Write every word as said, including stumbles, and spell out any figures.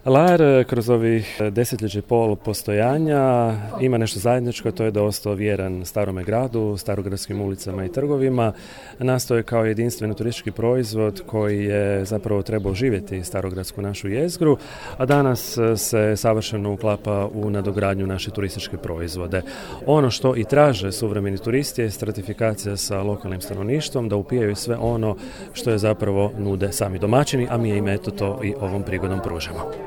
Lar kroz ovih desetljeća i pol postojanja ima nešto zajedničko, to je da je ostao vjeran starome gradu, starogradskim ulicama i trgovima. Nastao je kao jedinstveni turistički proizvod koji je zapravo trebao živjeti starogradsku našu jezgru, a danas se savršeno uklapa u nadogradnju naše turističke proizvode. Ono što i traže suvremeni turisti je stratifikacija sa lokalnim stanovništvom, da upijaju sve ono što je zapravo nude sami domaćini, a mi im eto to i ovom prigodom pružamo.